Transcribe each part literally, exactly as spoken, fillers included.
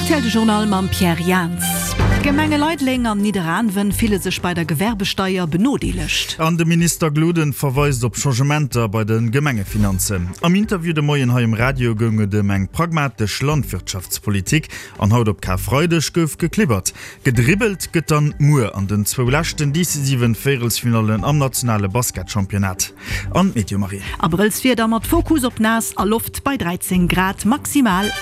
R T L De Journal mam Pierre Jans. D'Gemenge Leideleng an Nidderaanwen fille sech bei der Gewerbesteier benodeelegt. An de Minister Gloden verweist op Changementer bei de Gemengefinanzen. Am Interview de Moien hei um Radio goung et ëm eng pragmatesch Landwirtschaftspolitik. An haut op Karfreideg gouf geklibbert. Gedribbelt gëtt dann muer an den zwou leschten decisiven Véierelsfinallen am nationale Basketchampionnat. An d'Meteo Marie. Abrëllswieder mat Fokus op naass a Loft bei dräizéng Grad maximal.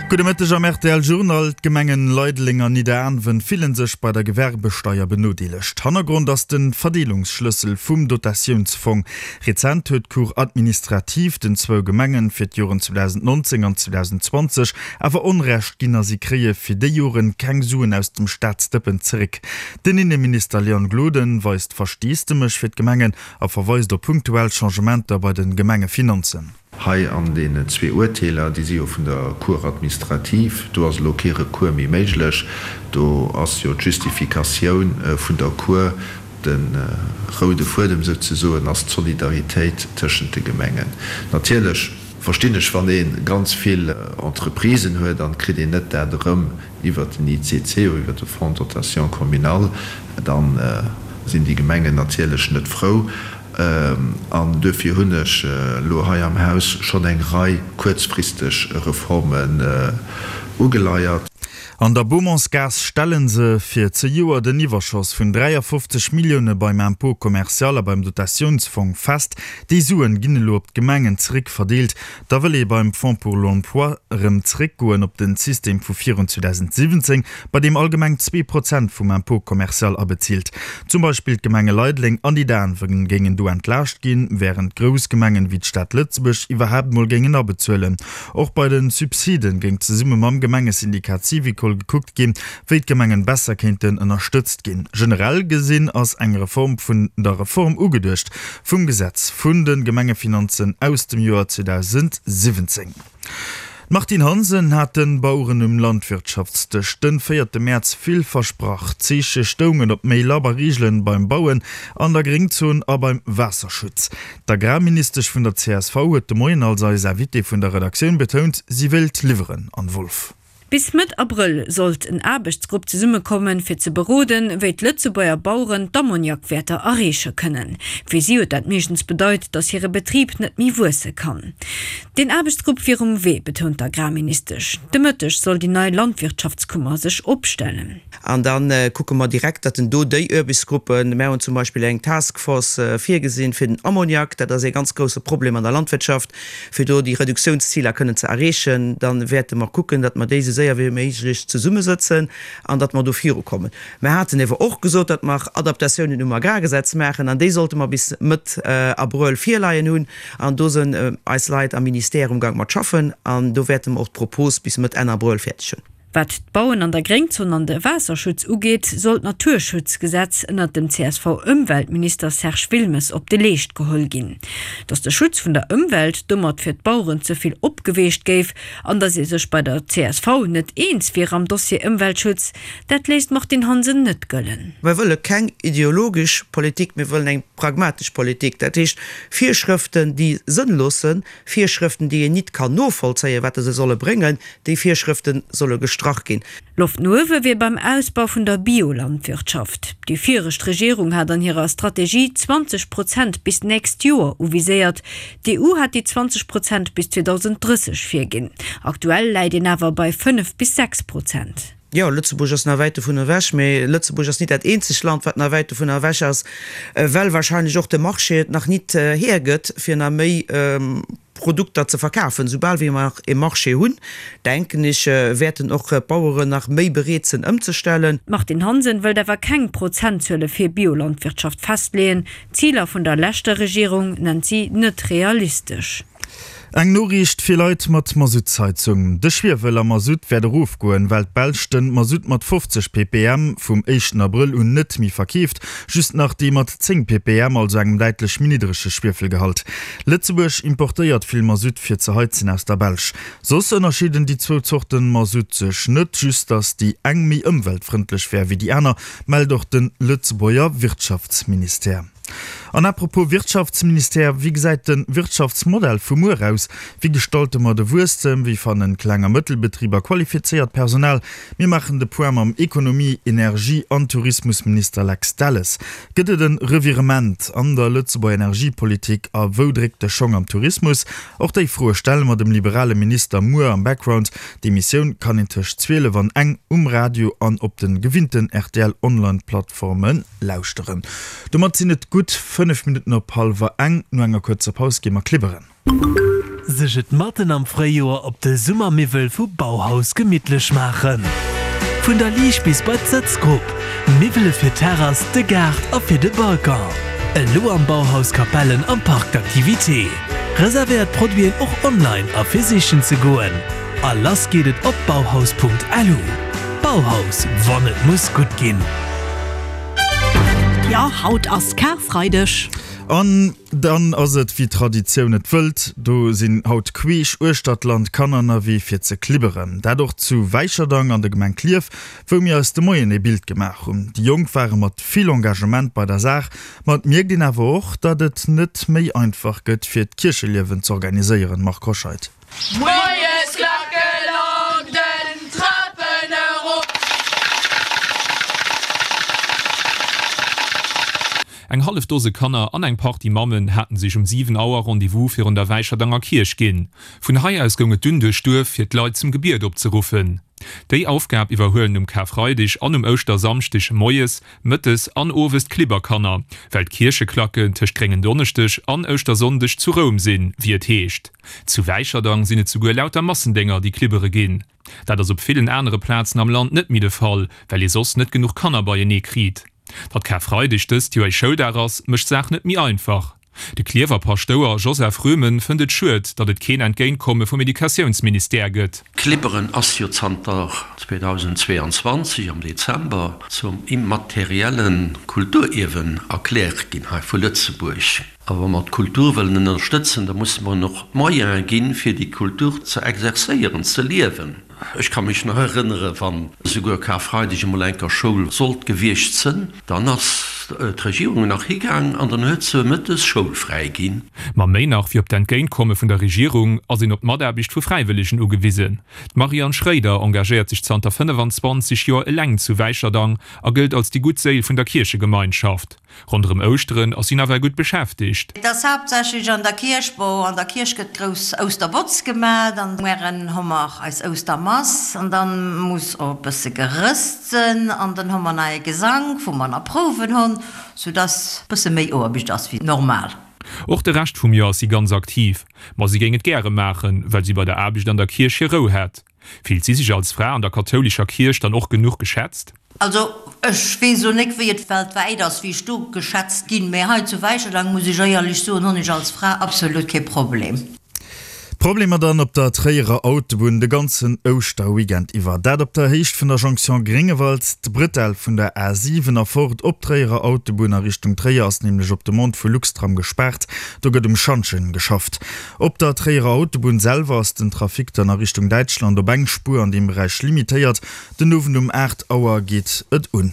Gudde Mëtteg am R T L Journal. D'Gemengen Leideleng an Nidderaanwen fillen sech bei der Gewerbesteier benodeelegt. Hannergrond ass de Verdeelungsschlëssel vum Dotatiounsfong. Rezent huet d'Cour administrative den zwou Gemengen fir d'Joren zweedausendnonzéng an zweedausendzwanzeg awer Onrecht ginn a si kréie fir déi Joren keng Suen aus dem Staatsdëppen zeréck. Den Inneminister Leon Gloden weist Versteesdemech fir d'Gemengen a verweist op punktuell Changementer bei de Gemengefinanzen. Hei an deenen zwee Urteeler, déi si jo vun der Cour administrative, do ass elo kee Recours méi méiglech, do ass jo d'Justifikatioun vun der Cour, de roude Fuedem souzesoen ass d'Solidaritéit tëschent de Gemengen. Natierlech verstinn ech, wann ee ganz vill Entreprisen huet an et kritt een net dat erëm iwwert den I C C oder iwwert de Fonds de dotation communal, da sinn déi Gemengen natierlech net frou. An duerfir hunn ech elo hei am Haus schonn eng Rei kuerzfristeg Reformen ugeleiert. An der Beaumontsgaass stelle se fir zejoert den Iwwerschoss vun dräiafofzeg Millioune beim Impôt commercial a beim Dotatiounsfong fest. Déi Suen ginn elo op d'Gemengen zeréck verdeelt. Da wëll ee beim Fonds pour l'emploi erëm zeréckgoen op den System vu virun zweedausendsiwwenzéng, bei deem all Gemeng zwee Prozent vum Impôt commercial abezilt. Zum Beispill d'Gemenge Leideleng an Nidderaanwen géingen do entlaascht ginn, wärend grouss Gemengen wéi d'Stad Lëtzebuerg iwwerhaapt mol géingen abezuelen. Och bei de Subsiden géing zesumme mam Gemengesyndikat Syvicol gekuckt ginn, wéi d'Gemengen besser kéinten ënnerstëtzt ginn. Generell gesinn ass eng Reform vun der Reform ugeduecht vum Gesetz vun de Gemengefinanzen aus dem Joer zweedausendsiwwenzéng. D'Martine Hansen hat de Baueren um Landwirtschaftsdësch den véierte Mäerz vill versprach. D'Zeeche stoungen op méi labber Reegelen beim Bauen an der Gréngzon a beim Waasserschutz. D'Agrarministesch vun der C S V huet de Moien als eis Invitée vun der Redaktioun betount, si wéilt liwweren. Anne Wolff. Bis Mëtt Abrëll sollt en Aarbechtsgrupp zesummekommen, fir ze beroden, wéi d'Lëtzebuerger Baueren d'Ammoniakwäerter erreeche kënnen. Fir si huet dat meeschtens bedeit, datt hire Betrib net méi wuesse kann. Den Aarbechtsgrupp wier um Wee, betount d'Agrarministesch. De Mëtteg soll déi nei Landwirtschaftskummer sech opstellen. An da kucke mer direkt, datt en do déi Aarbechtsgruppen, mir hunn zum Beispill eng Taskforce virgesinn fir den Ammoniak, dat ass ee ganz grousse Problem an der Landwirtschaft, fir do déi Reduktiounsziler kënnen ze erreechen. Da wäerte mer kucken, datt mer déi esou séier wéi méiglech zesummesëtzen an datt mer do virukommen. Mer haten ewer och gesot, datt mer Adaptatiounen um Agrargesetz maachen an déi sollte mer bis Mëtt Abrëll virleien hunn an do sinn eis Leit am Ministère amgaang mat schaffen an do wäerte mer och d'Propos bis Mëtt Enn Abrëll fäerdeg hunn. Wat d'Bauen an der Gréngzon an de Waasserschutz ugeet, soll d'Naturschutzgesetz ënnert dem C S V-Ëmweltminister Serge Wilmes op de Leescht geholl ginn. Datt de Schutz vun der Ëmwelt domat fir d'Baueren ze vill opgeweecht géif an datt ee sech bei der C S V net eens wier am Dossier Ëmweltschutz, dat léisst d'Martine Hansen net gëllen. Mir wëlle keng ideologesch Politik, mir wëllen eng pragmatesch Politik. Dat heescht Virschrëften, déi sënnlos sinn, Virschrëften, déi een nit kann novollzéien, wat se solle bréngen, déi Virschrëfte solle gestrach ginn. Loft no uewe wier beim Ausbau vun der Biolandwirtschaft. Déi viregt Regierung hat an hirer Strategie zwanzeg Prozent bis d'nächst Joer uviséiert. D'E U hat déi zwanzeg Prozent bis zweedausenddrësseg virginn. Aktuell läit een awer bei fënnef bis sechs Prozent. Jo, Lëtzebuerg ass nach wäit dovun ewech, mee Lëtzebuerg ass nit dat eenzegt Land, wat nach wäit dovun ewech ass, well wahrscheinlech och de Marché et nach nit hiergëtt, fir nach méi Produkter ze verkafen. Soubal wéi mer e Marché hunn, denken ech, wäerten och d'Baueren nach méi bereet sinn ëmzestellen. D'Martine Hansen wëllt awer keng Prozentzuele fir Biolandwirtschaft festleeën. D'Ziler vun der leschter Regierung nennt si net realistesch. Eng Noriicht fir Leit mat Masuttsheizung. De Schwiewel am Masutt wäert erofgoen, well d'Belsch de Masutt mat fofzeg P P M vum éischten Abrëll un net méi verkeeft, just nach dee mat zéng P P M, also engem däitlech méi niddrege Schwiefelgehalt. Lëtzebuerg importéiert vill Masutt fir ze heizen aus der Belsch. Soss ënnerscheeden déi zwou Zorten Masutt sech net, just datt déi eng méi ëmweltfrëndlech wär wéi déi aner, mellt och de Lëtzebuerger Wirtschaftsministère. An apropos Wirtschaftsministère, wéi gesäit de Wirtschaftsmodell vu muer aus? Wéi gestalte mer de Wuesstem? Wéi fannen Kleng a Mëttelbetriber qualifizéiert Personal? Mir maachen de Point mam Ekonomie-, Energie an Tourismusminister Lex Delles. Gëtt et e Revirement an der Lëtzebuerger Energiepolitik a wou dréckt de Schong am Tourismus? Och déi Froe stelle mer dem liberale Minister muer am Background. D'Emissioun kann een tëscht zwielef an eng um Radio an op de gewinnten R T L-Online-Plattforme lauschteren. Domat sinn et gutt fënnef Minutten op hallwer eng. No enger kuerzer Paus gi mer klibberen. Sech et matten am Fréijoer op de Summermiwwel vu Bauhaus gemittlech maachen. Vun der Liicht bis bei d'Sëtzgrupp, Miwwele fir Terrass, de Gaart a fir de Balcon. Elo am Bauhaus Capellen am Parc d'activités. Reservéiert Produiten och online a fir sichen ze goen. A lass geet et op bauhaus Punkt L U. Bauhaus, wann et muss gutt ginn. Jo, haut ass Karfreideg. An dann ass et wéi Traditioun et wëllt, do sinn haut queesch uechter d'Land Kanner ënnerwee fir ze klibberen. Dat och zu Wäicherdang an der Gemeng Klierf, wou mir eis de Moien e Bild gemaach hunn. Déi Jonk ware mat vill Engagement bei der Saach, ma et mierkt een awer och, datt et net méi einfach gëtt fir d'Kiercheliewen z'organiséieren. Marc Hoscheid. Moiesklacke lauden Trapen erop. Eng hallef Dose Kanner an eng Partie Mammen haten sech um siwen Auer Rendez-vous virun der Wäicherdanger Kierch ginn. Vun hei aus goung et dunn duerch d'Duerf fir d'Leit zum Gebiet opzeruffen. Déi Aufgab iwwerhuelen um Karfreideg an um Ouschtersamschdeg moies, mëttes an owes d'Klibberkanner, well d'Kiercheklacken tëscht Gréngendonneschdeg an Ouschtersonndeg zu Roum sinn, wéi et heescht. Zu Wäicherdang sinn et souguer lauter Massendénger, déi klibbere ginn. Dat ass op villen anere Plazen am Land net méi de Fall, well ee soss net genuch Kanner beienee kritt. Datt Karfreideg dëst Joer Schouldag ass, mécht d'Saach net méi einfach. De Klierfer Paschtouer Joseph Röhmen fënnt et schued, datt et keen Entgéintkomme vum Educatiounsministère gëtt. Klibberen ass jo zanter zweedausendzweeanzwanzeg am Dezember zum immaterielle Kulturierwen erkläert ginn hei vu Lëtzebuerg. A wa mer d'Kultur wëllen ënnerstëtzen, da musse mer och Moyene ginn, fir déi Kultur ze exerzéieren, ze liewen. Ech ka mech nach erënnere wann souguer Karfreideg emol eng Kéier Schoul sollt gewiescht sënn, dann ass d'Regierung nach higaang an dann huet se mëttes schoulfräi ginn. Ma méi nach wéi op d'Entgéintkomme vun der Regierung ass een op d'Mataarbecht vu Fräiwëllegen ugewisen. D'Marianne Schréider engagéiert sech zanter fënnefenzwanzeg Joer eleng zu Wäicherdang a gëllt als déi gutt Séil vun der Kierchegemeinschaft. Ronderëm Ouschteren ass si nawell gutt beschäftegt. Et ass haaptsächlech an der Kierch, bon, an der Kierch gëtt grouss Ousterbotz gemaach, dann mueren hu mer eis Oustermass an dann muss och e bësse gerësst sënn an dann hu mer nach ee Gesank, wou mer nach Prouwen hunn, sou dass bësse méi Oarbecht ass wéi normal. Och de Rescht vum Joer ass si ganz aktiv, ma si géing et gäre maachen, well si bei der Aarbecht an der Kierch hir Rou hätt. Fillt si sech als Fra an der kathoulescher Kierch dann och genuch geschätzt? Also ech weess elo net, wéi et weltwäit ass, wéi ech do geschätzt ginn, mä hei zu Wäicherdang, muss ech éierlech soen, hunn ech als Fra absolut kee Problem. Problemer dann op der Tréierer Autobunn de ganzen Ouschterweekend iwwer. Dat op der Héicht vun der Jonction Gréngewald. D'Bretelle vun der A siwen erfort op d'Tréierer Autobunn a Richtung Tréier ass nämlech op Demande vu Luxtram gespaart. Do gëtt um Schantjen geschafft. Op der Tréierer Autobunn selwer ass den Trafic dann a Richtung Däitschland op eng Spuer an deem Beräich limitéiert. Den Owend um aacht Auer geet et un.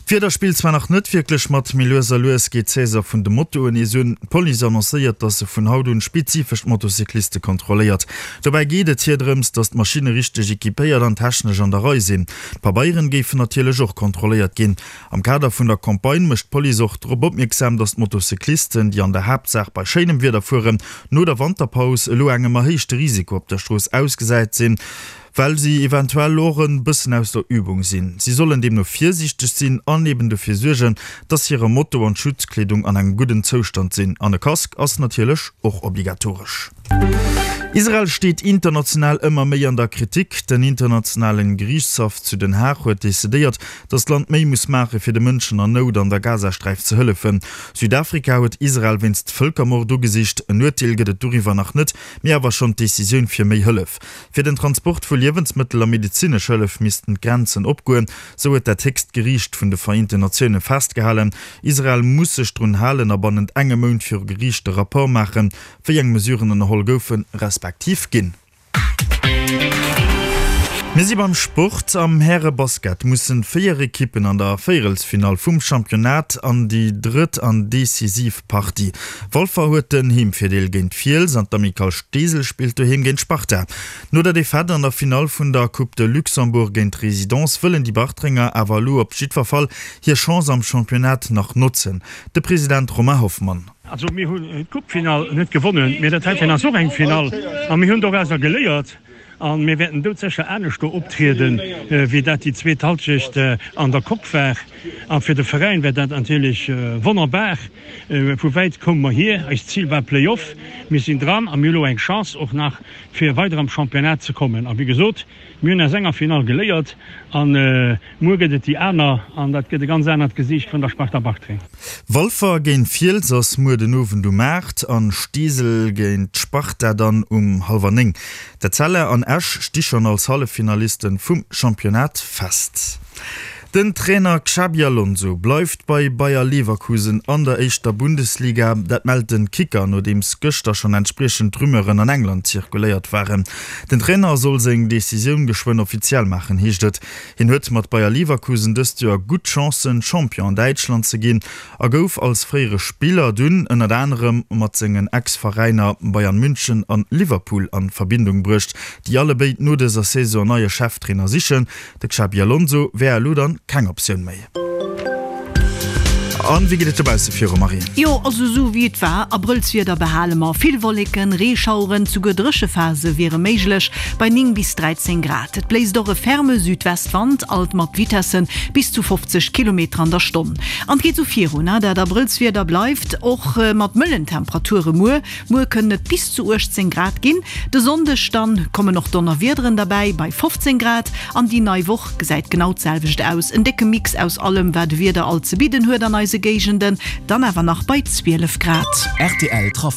D'Wieder spillt zwar nach net wierklech mat, mee lues a lues geet d'Saison vun de Motoen nees un. D'Police annoncéiert, dass se vun haut un spezifesch d'Motocycliste kontrolléiert. Dobäi geet et hir drëms, dass d'Maschinne richteg equipéiert an technesch an der Rei sinn. D'Pabeieren géifen natierlech och kontrolléiert ginn. Am Kader vun der Campagne mécht d'Police och drop opmierksam, dass d'Motocyclisten, déi an der Haaptsaach bei schéinem Wieder fueren, no der Wanterpaus elo engem erhéichte Risiko op der Strooss ausgesat sinn, well si eventuell och e bëssen aus der Übung sinn. Si sollen deemno virsiichteg sinn an eben dofir suergen, dass hire Moto an d'Schutzkleedung an engem gudden Zoustand sinn. An e Casque ass natierlech och obligatoresch. Israel steet international ëmmer méi an der Kritik. Den internationalen Geriichtshaff zu Den Haag huet decidéiert, dass d'Land méi muss maache fir de Mënschen an Nout an der Gazasträif ze hëllefen. Südafrika huet Israel wéinst Vëlkermord ugesicht. En Urteel gëtt et doriwwer nach net, mee awer schonn d'Decisioun fir méi Hëllef. Fir den Transport vu Liewensmëttel a medezinesch Hëllef missten d'Grenzen opgoen, sou huet dat héchst Geriicht vun de Vereenten Natioune festgehalen. Israel muss sech drun halen a bannent engem Mount viru Geriicht e Rapport maachen, wéi eng Mesuren ënnerholl goufen, respektiv ginn. Mir si beim Sport. Am Härebasket mussen véier Ekippen an der Véierelsfinall vum Championnat an déi drëtt an decisiv Partie. Walfer huet den Heemvirdeel géint Fiels an d'Amicale Steesel spillt doheem géint d'Sparta. No der Defaite an der Finall vun der Coupe de Luxembourg géint d'Résidence wëllen déi Bartrenger awer elo op jiddwer Fall hir Chance am Championnat nach notzen. De President Romain Hoffmann. Also mir hunn d'Coupefinall net gewonnen, mee dat heiten ass och eng Finall a mir hunn dorauser geléiert. A mir wäerten doudsécher anescht do optrieden, wéi dat déi zweet Halschecht an der Coupe war. A fir de Veräin wär dat natierlech wonnerbar. Vu wäit koume mer hier. Eist Zil war Play-off. Mir sinn dran a mir hu lo eng Chance och nach, fir weider am Championnat ze kommen. A wéi gesot, mir hunn aus enger Finall geléiert a muer gëtt et déi aner an dat gëtt e ganz anert Gesiicht vun der Sparta Bartreng. Walfer géint Fiels ass muer den Owend um aacht an Steesel géint d'Sparta dann um hallwer néng. D'Etzella an Esch sti schonn als Halleffinalisten vum Championnat fest. Den Trainer Xabi Alonso bleift bei Bayer Leverkusen an der éischter Bundesliga. Dat mellt den Kicker, nodeems gëschter schonn entspriechend Rumeuren an England zirkuléiert waren. Den Trainer soll seng Decisioun geschwënn offiziell maachen, heescht et. Hien huet mat Bayer Leverkusen dëst Joer gutt Chancen, Champion an Däitschland ze ginn a gouf als fréiere Spiller dunn ënnert anerem mat sengen Ex-Veräiner Bayern München an Liverpool an Verbindung bruecht, déi allebéid no dëser Saison en neie Cheftrainer sichen. De Xabi Alonso wär elo dann keng Optioun méi. An wéi geet et dobausse viru, Marie? Jo, also esou wéi et war, Abrëllswieder behale mer, vill Wolleken, Reeschaueren, souguer Dréchephase wiere méiglech bei néng bis dräizéng Grad. Et bléist och e ferme Südwestwand, alt mat Vitesse bis zu fofzeg Kilometer an der Stonn. An et geet esou virun, dat Abrëllswieder bleift och mat mëllen Temperature muer. Muer kënnen et bis zu uechtzéng Grad ginn. De Sonndeg dann kommen och Donnerwiederen derbäi bei fofzéng Grad an déi nei Woch gesäit genau d'selwecht aus, en décke Mix aus allem wat de Wieder alt ze bidden huet an eise Géigenden, dann awer nach bei zwielef Grad. Rtl Trafic.